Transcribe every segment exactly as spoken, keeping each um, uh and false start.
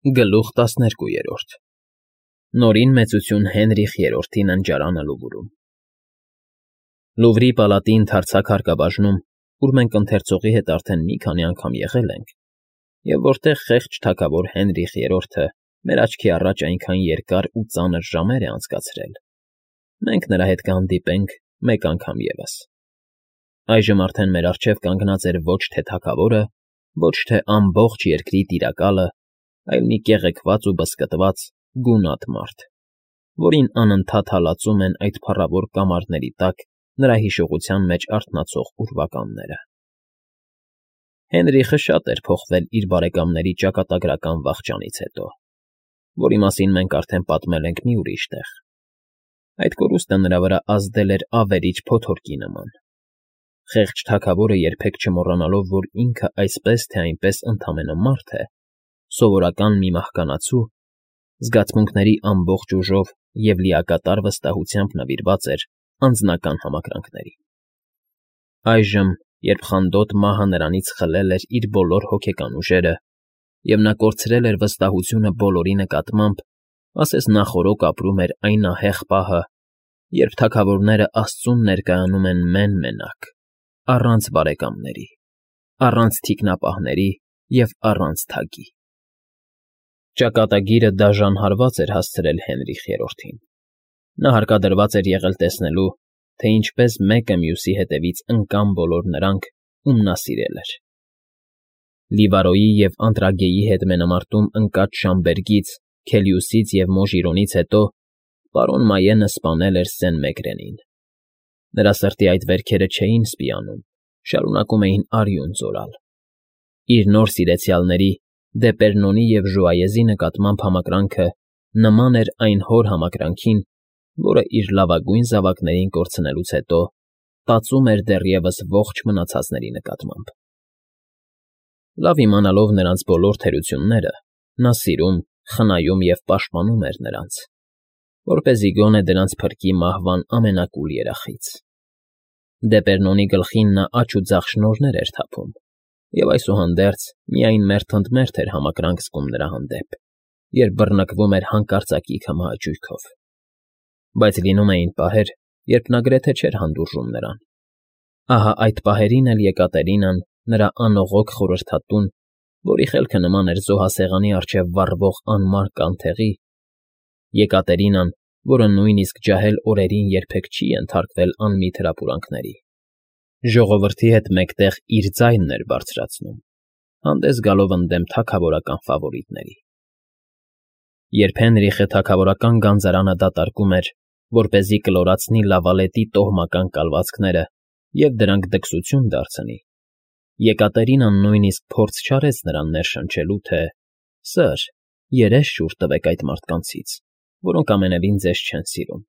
Գլուխ տասներկուերորդ Նորին մեծություն Հենրիխ Երրորդի ննջարանը Լուվրում Լուվրի պալատի ընդարձակ հարկաբաժնում, ուր մենք ընթերցողի հետ արդեն մի քանի անգամ եղել ենք, և որտեղ խեղճ թագավոր Հենրիխ Երրորդը մեր աչքի առաջ այնքան երկար ու ծանր ժամեր է անցկացրել, մենք նրա հետ կհանդիպենք մեկ անգամ ևս։ Այժմ արդեն մեր առջև կանգնած էր ոչ թե թագավորը, ոչ թե ամբողջ երկրի տիրակալը, այլ մի կեղեքված ու բզկտված գունատ մարդ, որին անընդհատ հալածում են այդ փառավոր կամարների տակ նրա հիշողության մեջ արթնացող ուրվականները։ Հենրիխը շատ էր փոխվել իր բարեկամների ճակատագրական վախճանից հետո, որի մասին մենք արդեն պատմել ենք մի ուրիշ տեղ։ Այդ կորուստը նրա վրա ազդել էր ավերիչ փոթորկի նման։ Խեղճ թագավորը երբեք չմոռանալով, որ ինքը այսպես թե այնպես ընդամենը մարդ է, սովորական մի մահկանացու, զգացմունքների ամբողջ ուժով և լիակատար վստահությամբ նվիրված էր անձնական համակրանքներին։ Այժմ, երբ խանդոտ մահը նրանից խլել էր իր բոլոր հոգեկան ուժերը, և նա կորցրել էր վստահությունը բոլորի նկատմամբ, ասես նախօրոք ապրում էր այն ահեղ պահը, երբ թագավորները աստծուն ներկայանում են մեն֊մենակ, առանց բարեկամների, առանց թիկնապահների և առանց թագի։ Ճակատագիրը դաժան հարված էր հասցրել Հենրիխ Երրորդին։ Նա հարկադրված էր եղել տեսնելու, թե ինչպես մեկը մյուսի հետևից ընկան բոլոր նրանք, ում նա սիրել էր։ Լիվարոյի և Անտրագեի հետ մենամարտում ընկած Շամբերգից, Քելիուսից և Մոժիրոնից հետո պարոն Մայենը սպանել էր Սեն֊Մեկրենին։ Նրա սրտի այդ վերքերը չէին սպիանում, շարունակում էին արյուն ձորալ։ Իր նոր սիրեցյալների՝ Դեպերնոնի և Ժուայեզի նկատմամբ համակրանքը նման էր այն հոր համակրանքին, որը իր լավագույն զավակներին կորցնելուց հետո տածում էր դեռևս ողջ մնացածների նկատմամբ։ Լավ իմանալով նրանց բոլոր թերությունները, նա սիրում, խնայում և պաշտպանում էր նրանց, որպեսզի գոնե դրանց փրկի մահվան ամենակուլ երախից։ Դեպերնոնի գլխին նա աջ ու ձախ շնորհներ էր թափում, և այսուհանդերձ միայն մերթ ընդ մերթ էր համակրանք զգում նրա հանդեպ, երբ բռնկվում էր հանկարծակի քմահաճույքով։ Բայց լինում էին պահեր, երբ նա գրեթե չէր հանդուրժում նրան։ Ահա այդ պահերին էլ Եկատերինան, նրա անողոք խորհրդատուն, որի խելքը նման էր զոհասեղանի առջև վառվող անմար կանթեղի, Եկատերինան, որը նույնիսկ ջահել օրերին երբեք չի ենթարկվել անմիտ հրապուրանքների, ժողովրդի հետ մեկտեղ իր ձայնն էր բարձրացնում, հանդես գալով ընդդեմ թագավորական ֆավորիտների։ Երբ Հենրիխը թագավորական գանձարանը դատարկում էր, որպեսզի կլորացնի Լավալետի տոհմական կալվածքները և դրանք դքսություն դարձնի, Եկատերինան նույնիսկ փորձ չարեց նրան ներշնչելու, թե «Սըր, երես շուռ տվեք այդ մարդկանցից, որոնք ամենևին ձեզ չեն սիրում,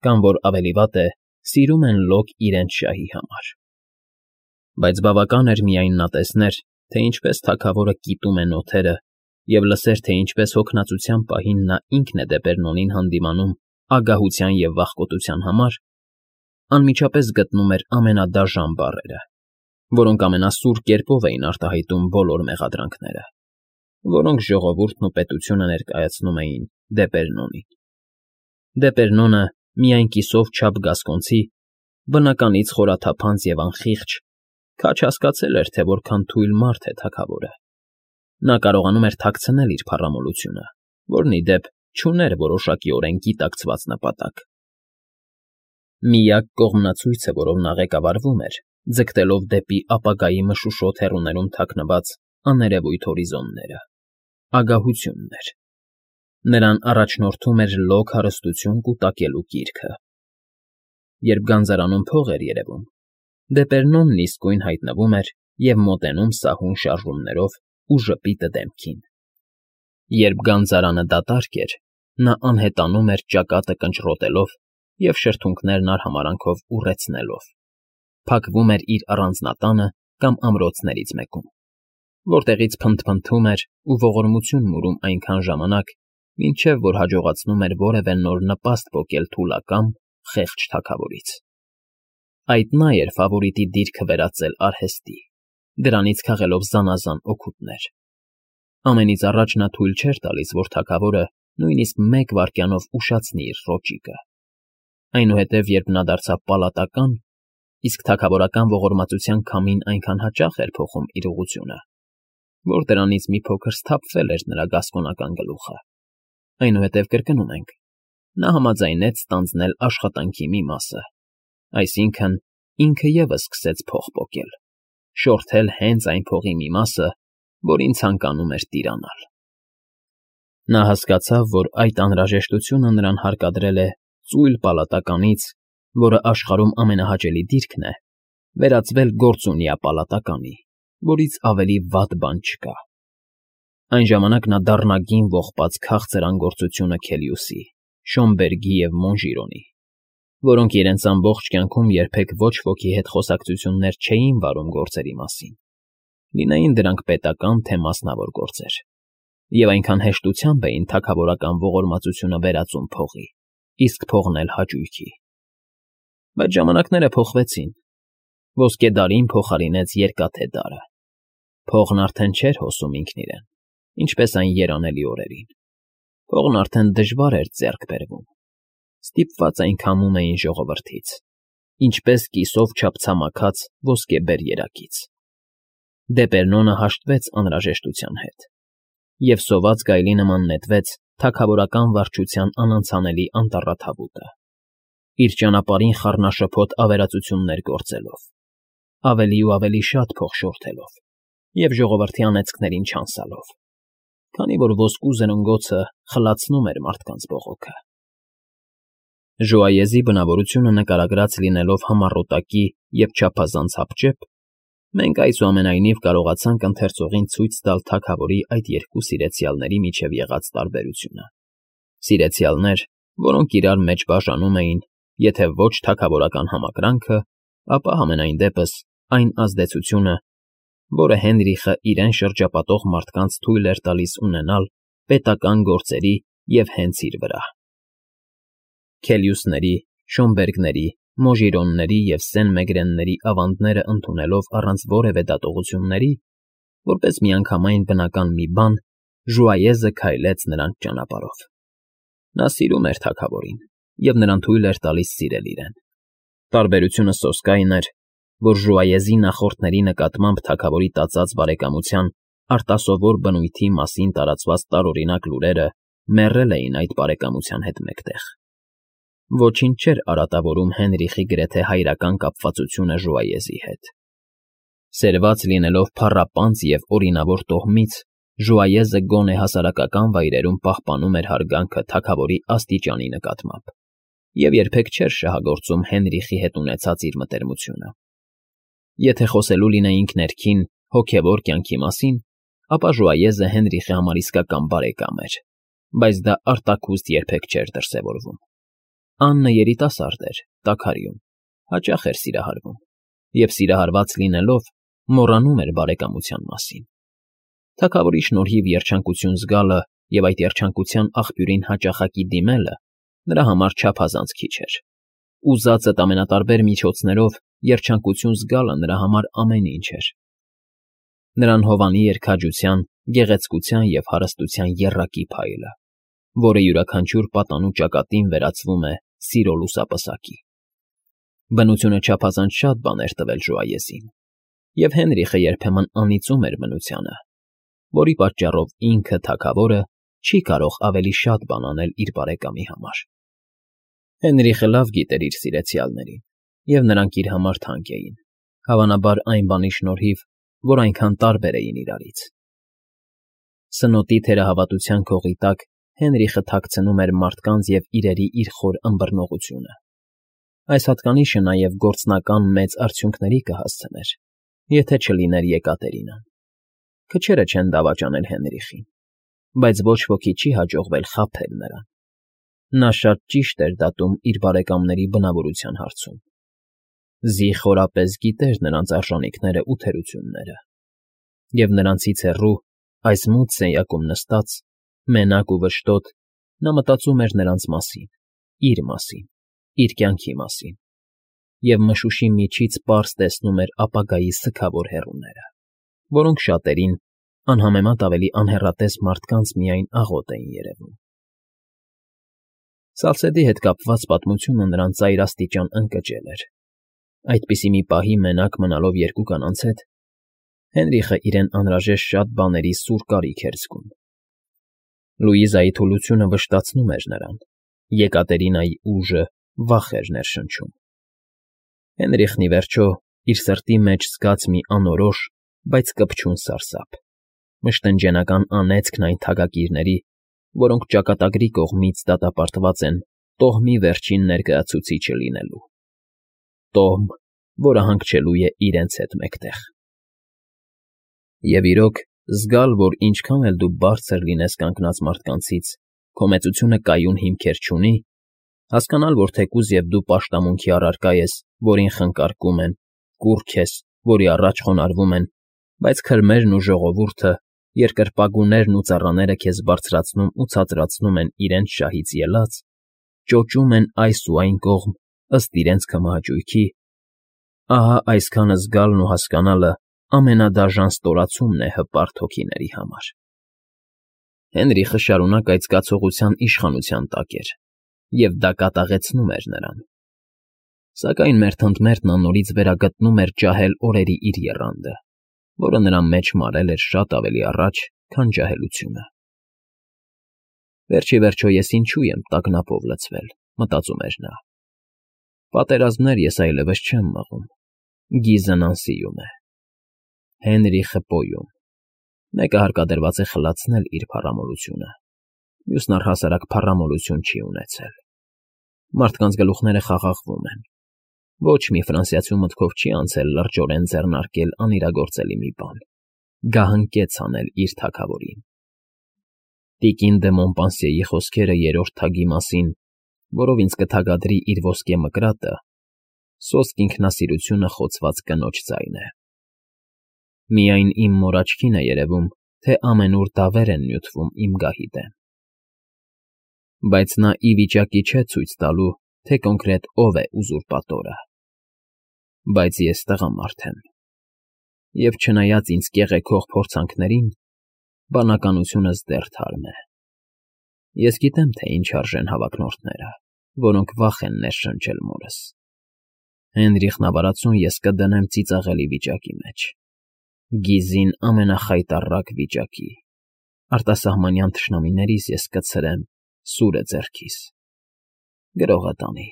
կամ, որ ավելի վատ է, սիրում են լոկ իրենց շահի համար»։ Բայց բավական էր միայն նա տեսներ, թե ինչպես թագավորը կիտում է նոթերը, և լսեր, թե ինչպես հոգնածության պահին նա ինքն է Դեպերնոնին հանդիմանում ագահության և վախկոտության համար, անմիջապես գտնում էր ամենադաժան բառերը, որոնք ամենասուր կերպով էին արտահայտում բոլոր մեղադրանքները, որոնք ժողովուրդն ու պետությունը ներկայացնում էին Դեպերնոնին։ Դեպերնոնը, միայն կիսով չափ գասկոնցի, բնականից խորաթափանց և անխիղճ, քաջ հասկացել էր, թե որքան թույլ մարդ է թագավորը։ Նա կարողանում էր թաքցնել իր փառամոլությունը, որն, ի դեպ, չուներ որոշակիորեն գիտակցված նպատակ։ Միակ կողմնացույցը, որով նա ղեկավարվում էր, ձգտելով դեպի ապագայի մշուշոտ հեռուներում թաքնված աներևույթ հորիզոնները, ագահությունն էր։ Նրան առաջնորդում էր լոկ հարստություն կուտակելու գիրքը։ Երբ գանձարանում փող էր երևում, Դեպերնոնն իսկույն հայտնվում էր և մոտենում սահուն շարժումներով ու ժպիտը դեմքին։ Երբ գանձարանը դատարկ էր, նա անհետանում էր ճակատը կնճռոտելով և շրթունքներն արհամարհանքով ուռեցնելով, փակվում էր իր առանձնատանը կամ ամրոցներից մեկում, որտեղից փնթփնթում էր ու ողորմություն մուրում այնքան ժամանակ, մինչև որ հաջողացնում էր որևէ նոր նպաստ պոկել թուլակամ, խեղճ թագավորից։ Այդ նա էր ֆավորիտի դիրքը վերածել արհեստի, դրանից քաղելով զանազան օգուտներ։ Ամենից առաջ նա թույլ չէր տալիս, որ թագավորը նույնիսկ մեկ վայրկյանով ուշացնի իր ռոճիկը, այնուհետև, երբ նա դարձավ պալատական, իսկ թագավորական ողորմածության քամին այնքան հաճախ էր փոխում իր ուղղությունը, որ դրանից մի փոքր սթափվել էր նրա գասկոնական գլուխը, այնուհետև կրկնում ենք, նա համաձայնեց ստանձնել աշխատանքի մի մասը, այսինքն ինքը ևս սկսեց փող պոկել, շորթել հենց այն փողի մի մասը, որին ցանկանում էր տիրանալ։ Նա հասկացավ, որ այդ անհրաժեշտությունը նրան հարկադրել է ծույլ պալատականից, որը աշխարհում ամենահաճելի դիրքն է, վերածվել գործունյա պալատականի, որից ավելի վատ բան չկա։ Այն ժամանակ նա դառնագին ողբաց քաղցր անգործությունը Քելիուսի, Շոմբերգի և Մոնժիրոնի, որոնք իրենց ամբողջ կյանքում երբեք ոչ ոքի հետ խոսակցություններ չէին վարում գործերի մասին, լինեին դրանք պետական թե մասնավոր գործեր, և այնքան հեշտությամբ էին թագավորական ողորմածությունը վերածում փողի, իսկ փողն էլ հաճույքի։ Բայց ժամանակները փոխվեցին, ոսկե դարին փոխարինեց երկաթե դարը, փողն արդեն չէր հոսում ինքն իրեն, ինչպես այն երանելի օրերին, փողն արդեն դժվար էր ձեռք բերվում, ստիպված այն քամում էին ժողովրդից, ինչպես կիսով չափ ցամաքած ոսկեբեր երակից։ Դեպերնոնը հաշտվեց անհրաժեշտության հետ, և սոված գայլի նման նետվեց թագավորական վարչության անանցանելի անտառաթավուտը, իր ճանապարհին խառնաշփոթ ավերածություններ գործելով, ավելի ու ավելի շատ փող շորթելով և ժողովրդի անեծքներին չանցալով, քանի որ ոսկու զրնգոցը խլացնում էր մարդկանց բողոքը։ Ժուայեզի բնավորությունը նկարագրած լինելով համառոտակի և չափազանց հապճեպ, մենք այսուամենայնիվ կարողացանք ընթերցողին ցույց տալ թագավորի այդ երկու սիրեցյալների միջև եղած տարբերությունը, սիրեցյալներ, որոնք իրար մեջ բաժանում էին, եթե ոչ թագավորական համակրանքը, ապա համենայն դեպս այն ազդեցությունը, որը Հենրիխը իրեն շրջապատող մարդկանց թույլ էր տալիս ունենալ պետական գործերի և հենց իր վրա։ Քելիուսների, Շոմբերգների, Մոժիրոնների և Սեն֊Մեգրենների ավանդները ընդունելով առանց որևէ դատողությունների, որպես միանգամայն բնական մի բան, Ժուայեզը քայլեց նրանց ճանապարհով։ Նա սիրում էր թագավորին և նրան թույլ էր տալիս սիրել իրեն։ Տարբերությունը սոսկ այն էր, որ Ժուայեզի նախորդների նկատմամբ թագավորի տածած բարեկամության արտասովոր բնույթի մասին տարածված տարօրինակ լուրերը մեռել էին այդ բարեկամության հետ մեկտեղ։ Ոչինչ չէր արատավորում Հենրիխի գրեթե հայրական կապվածությունը Ժուայեզի հետ։ Սերված լինելով փառապանծ և օրինավոր տոհմից, Ժուայեզը գոնե հասարակական վայրերում պահպանում էր հարգանքը թագավորի աստիճանի նկատմամբ և երբեք չէր շահագործում Հենրիխի հետ ունեցած իր մտերմությունը։ Եթե խոսելու լինեինք ներքին, հոգևոր կյանքի մասին, ապա Ժուայեզը Հենրիխի համար իսկական բարեկամ էր, բայց դա արտաքուստ երբեք չէր դրսևորվում։ Աննը երիտասարդ էր, տաքարյուն, հաճախ էր սիրահարվում և, սիրահարված լինելով, մոռանում էր բարեկամության մասին։ Թագավորի շնորհիվ երջանկություն զգալը և այդ երջանկության աղբյուրին հաճախակի դիմելը նրա համար չափազանց քիչ էր։ Ուզածդ ամենատարբեր միջոցներով երջանկություն զգալը նրա համար ամեն ինչ էր։ Նրան հովանի էր քաջության, գեղեցկության և հարստության եռակի փայլը, որը յուրաքանչյուր պատանու ճակատին վերածվում է սիրո լուսապսակի։ Բնությունը չափազանց շատ բան էր տվել Ժուայեզին, և Հենրիխը երբեմն անիծում էր բնությանը, որի պատճառով ինքը, թագավորը, չի կարող ավելի շատ բան անել իր բարեկամի համար։ Հենրիխը լավ գիտեր իր սիրեցյալներին, և նրանք իր համար թանկ էին, հավանաբար այն բանի շնորհիվ, որ այնքան տարբեր էին իրարից։ Սնոտի թերահավատության քողի տակ Հենրիխը թաքցնում էր մարդկանց և իրերի իր խոր ըմբռնողությունը։ Այս հատկանիշը նաև գործնական մեծ արդյունքների կհասցներ, եթե չլիներ Եկատերինան։ Քչերը չեն դավաճանել Հենրիխին, բայց ոչ ոքի չի հաջողվել խաբել նրան։ Նա շատ ճիշտ էր դատում իր բարեկամների բնավորության հարցում։ Զի խորապես գիտեր նրանց արժանիքներն ու թերությունները, և նրանցից հեռու, այս մութ սենյակում նստած, մենակ ու վշտոտ, նա մտածում էր նրանց մասին, իր մասին, իր կյանքի մասին, և մշուշի միջից պարզ տեսնում էր ապագայի սգավոր հեռուները, որոնք շատերին, անհամեմատ ավելի անհեռատես մարդկանց միայն աղոտ էին երևում։ Սալսեդի հետ կապված պատմությունը նրան ծայրաստիճան ընկճել էր։ Այդպիսի մի պահի մենակ մնալով երկու կանանց հետ Հենրիխը իրեն անհրաժեշտ շատ բաների սուր կարիք էր զգում։ Լուիզայի թուլությունը վշտացնում էր նրան, Եկատերինայի ուժը վախ էր ներշնչում։ Հենրիխն ի վերջո իր սրտի մեջ զգաց մի անորոշ, բայց կպչուն սարսափ, մշտնջենական անեծքն այն թագակիրների, որոնք ճակատագրի կողմից դատապարտված են տոհմի վերջին ներկայացուցիչը լինելու։ Տոհմ, որը հանգչելու է իրենց հետ մեկտեղ։ Եվ իրոք, զգալ, որ ինչքան էլ դու բարձր լինես կանգնած մարդկանցից, քո մեծությունը կայուն հիմքեր չունի, հասկանալ, որ թեկուզ և դու պաշտամունքի առարկա ես, որին խնկարկում են, կուռք ես, որի առաջ խոնարհվում են, բայց քրմերն ու ժողովուրդը, երկրպագուներն ու ծառաները քեզ բարձրացնում ու ցածրացնում են իրենց շահից ելած, ճոճում են այս ու այն կողմ ըստ իրենց քմահաճույքի, ահա այսքանը զգալն ու հասկանալը ամենադաժան ստորացումն է հպարտ հոգիների համար։ Հենրիխը շարունակ այդ զգացողության իշխանության տակ էր, և դա կատաղեցնում էր նրան։ Սակայն մերթընդմերթ նա նորից վերագտնում էր ջահել օրերի իր եռանդը, որը նրա մեջ մարել էր շատ ավելի առաջ, քան ջահելությունը։ Վերջ ի վերջո ես ինչու եմ տագնապով լցվել, մտածում էր նա։ Պատերազմներ ես այլևս չեմ մղում, Գիզն անսիում է։ Հենրիխը պոյում։ Մեկը հարկադրված է խլացնել իր փառամոլությունը, մյուսն առհասարակ փառամոլություն չի ունեցել։ Մարդկանց գլուխները խաղաղվում են։ Ոչ մի ֆրանսիացու մտքով չի անցել լրջորեն ձեռնարկել անիրագործելի մի բան, գահընկեց անել իր թագավորին։ Տիկին դե Մոնպանսիեի խոսքերը երրորդ թագի մասին, որով ինձ կթագադրի իր ոսկե մկրատը, սոսկ ինքնասիրությունը խոցված կնոջ ձայն է։ Միայն իմ մոր աչքին է երևում, թե ամենուր դավեր են նյութվում իմ գահի դեմ։ Բայց նա ի վիճակի չէ ցույց տալու, թե կոնկրետ ով է ուզուրպատորը։ Բայց ես տղամարդ եմ, և չնայած ինձ կեղեքող փորձանքներին, բանականությունս դեռ թարմ է։ Ես գիտեմ, թե ինչ արժեն հավակնորդները, որոնք վախ են ներշնչել մորս։ Հենրիխն ավարածուն ես կդնեմ ծիծաղելի վիճակի մեջ, Գիզին ամենախայտառակ վիճակի, արտասահմանյան թշնամիներից ես կցրեմ սուրը ձեռքիս։ Գրողը տանի։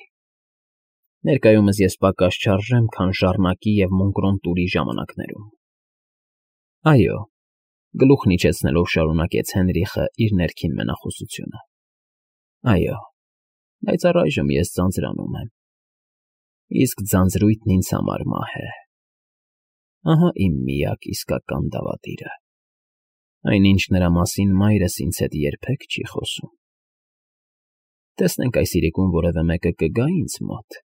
Ներկայումս ես պակաս չարժեմ, քան ժառնակի և Մոնկրոն֊տուրի ժամանակներում։ Այո, գլուխն իջեցնելով շարունակեց Հենրիխը իր ներքին մենախոսությունը։ Այո, բայց առայժմ ես ձանձրանում եմ։ Իսկ ձանձրույթն ինձ համար մահ է։ Ահա իմ միակ իսկական դավադիրը, այնինչ նրա մասին մայրս ինձ հետ երբեք չի խոսում։ Տեսնենք այս իրիկուն որևէ մեկը կգա ինձ մոտ։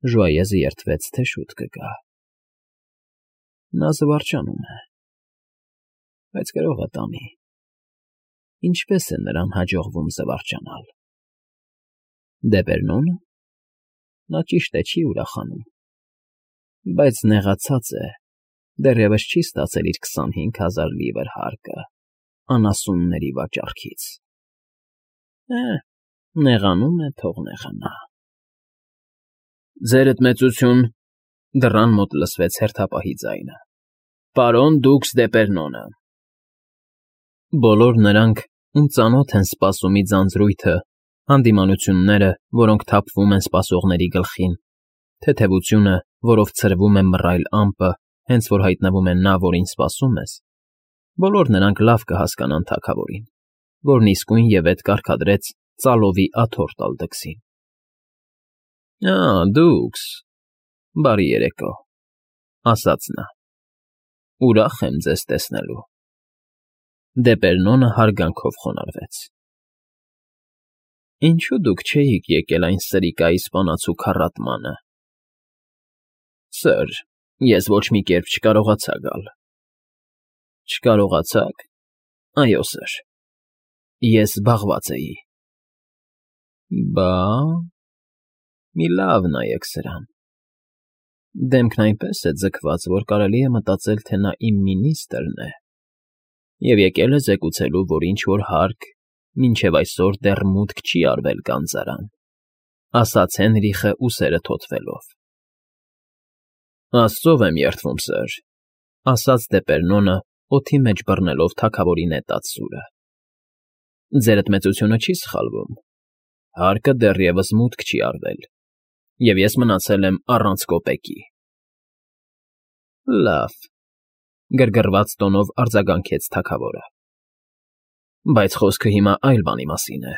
Ժուայեզը երդվեց, թե շուտ կգա։ Նա զվարճանում է, բայց գրողը տանի։ Ինչպես է նրան հաջողվում զվարճանալ։ Դեպերնո՞նը։ Նա ճիշտ է, չի ուրախանում, բայց նեղացած է, դեռևս չի ստացել իր քսանհինգ հազար լիվր հարկը անասունների վաճառքից։ Է, նեղանում է, թող նեղանա։ Ձերդ մեծություն, դռան մոտ լսվեց հերթապահի ձայնը։ Պարոն դուքս Դեպերնոնը։ Բոլոր նրանք, ում ծանոթ են սպասումի ձանձրույթը, հանդիմանությունները, որոնք թափվում են սպասողների գլխին, թեթևությունը, որով ցրվում է մռայլ ամպը, հենց որ հայտնվում է նա, որին սպասում ես, բոլոր նրանք լավ կհասկանան թագավորին, որն իսկույն ևեթ կարգադրեց ծալովի աթոռ տալ դքսին։ Ա, դուքս, բարի երեկո, ասաց նա։ Ուրախ եմ ձեզ տեսնելու։ Դեպերնոնը հարգանքով խոնարհվեց։ Ինչու դուք չէիք եկել այն սրիկայի սպանացու քառատմանը։ Սըր, ես ոչ մի կերպ չկարողացա գալ։ Չկարողացաք։ Այո, սըր։ Ես զբաղված էի։ Բա, մի լավ նայեք սրան։ Դեմքն այնպես է ձգված, որ կարելի է մտածել, թե նա իմ մինիստրն է։ Եվ եկել է զեկուցելու, որ ինչ֊որ հարկ մինչև այսօր դեռ մուտք չի արվել գանձարան,֊ ասաց Հենրիխը ուսերը թոթվելով։ ֊ Աստծով եմ երդվում, սըր,֊ ասաց Դեպերնոնը, օդի մեջ բռնելով թագավորի նետած սուրը։ ֊ Ձերդ մեծությունը չի սխալվում. հարկը դեռևս մուտք չի արվել, և ես մնացել եմ առանց կոպեկի։ ֊ Լավ,֊ գրգռված տոնով արձագանքեց թագավորը։ ֊ Բայց խոսքը հիմա այլ բանի մասին է,֊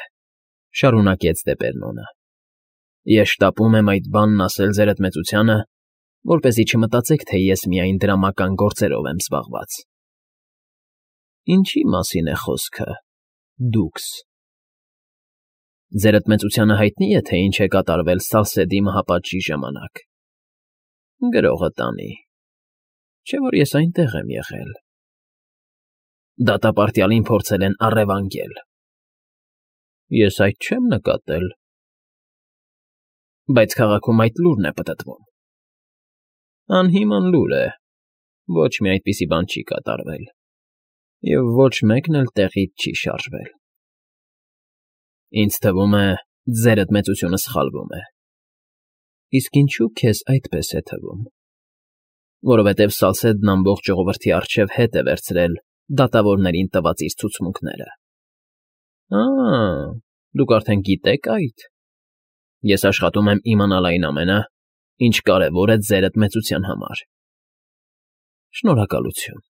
շարունակեց Դեպերնոնը։ Ես շտապում եմ այդ բանն ասել ձերդ մեծությանը, որպեսզի չմտածեք, թե ես միայն դրամական գործերով եմ զբաղված։ ֊ Ինչի՞ մասին է խոսքը, դուքս։ ֊ Ձերդ մեծությանը հայտնի է, թե ինչ է կատարվել Սալսեդի մահապատժի ժամանակ։ ֊ Գրողը տանի, չէ՞ որ ես այնտեղ եմ եղել։ ֊ Դատապարտյալին փորձել են առևանգել։ ֊ Ես այդ չեմ նկատել։ ֊ Բայց քաղաքում այդ լուրն է պտտվում։ ֊ Անհիմն լուր է, ոչ մի այդպիսի բան չի կատարվել, և ոչ մեկն էլ տեղից չի շարժվել։ ֊ Ինձ թվում է, ձերդ մեծությունը սխալվում է։ ֊ Իսկ ինչո՞ւ քեզ այդպես է թվում։ ֊ Որովհետև Սալսեդն ամբողջ ժողովրդի առջև հետ է վերցրել դատավորներին տված իր ցուցմունքները։ ֊ Ա՜, դուք արդեն գիտեք այդ։ Ես աշխատում եմ իմանալ այն ամենը, ինչ կարևոր է ձերդ մեծության համար։ ֊ Շնորհակալություն։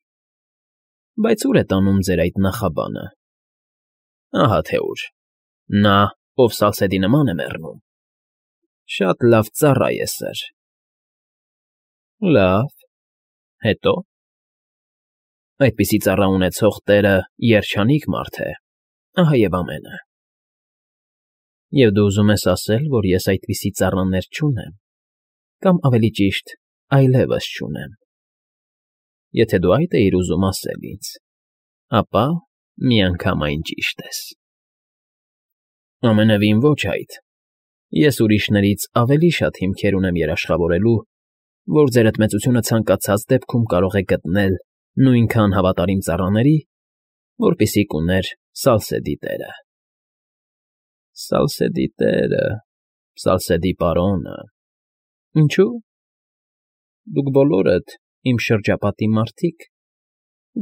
Բայց ո՞ւր է տանում ձեր այդ նախաբանը։ ֊ Ահա թե ուր. նա, ով Սալսեդի նման է մեռնում, շատ լավ ծառա է, սըր։ ֊ Լավ, հետո՞։ ֊ Այդպիսի ծառա ունեցող տերը երջանիկ մարդ է, ահա և ամենը։ ֊ Եվ դու ուզում ես ասել, որ ես այդպիսի ծառաներ չունեմ, կամ, ավելի ճիշտ, այլևս չունեմ։ Եթե դու այդ էիր ուզում ասել ինձ, ապա միանգամայն ճիշտ ես։ ֊ Ամենևին ոչ այդ. ես ուրիշներից ավելի շատ հիմքեր ունեմ երաշխավորելու, որ ձերդ մեծությունը ցանկացած դեպքում կարող է գտնել նույնքան հավատարիմ ծառաների, որպիսիք ուներ Սալսեդի տերը։ ֊ Սալսեդի տերը, Սալսեդի պարոնը… Ինչո՞ւ։ Դուք բոլորդ, իմ շրջապատի մարդիկ,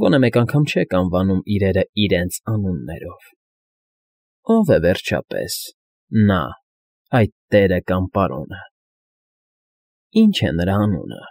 գոնե մեկ անգամ չեք անվանում իրերը իրենց անուններով։ Ո՞վ է, վերջապես, նա, այդ տերը կամ պարոնը։ Ի՞նչ է նրա անունը։